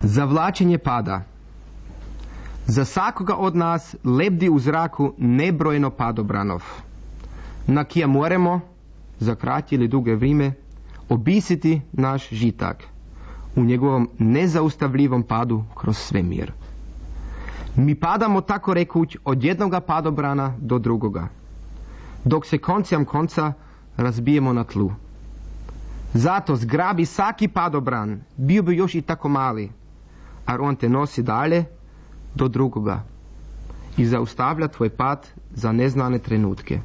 Zavlačenje pada. Za svakoga od nas lebdi u zraku nebrojeno padobranov, na kija moramo, za kratje ili duge vrijeme, obisiti naš žitak u njegovom nezaustavljivom padu kroz svemir. Mi padamo tako rekuć od jednoga padobrana do drugoga, dok se koncem konca razbijemo na tlu. Zato zgrabi svaki padobran, bio bi još i tako mali, a on te nosi dalje do drugoga i zaustavlja tvoj pad za neznane trenutke.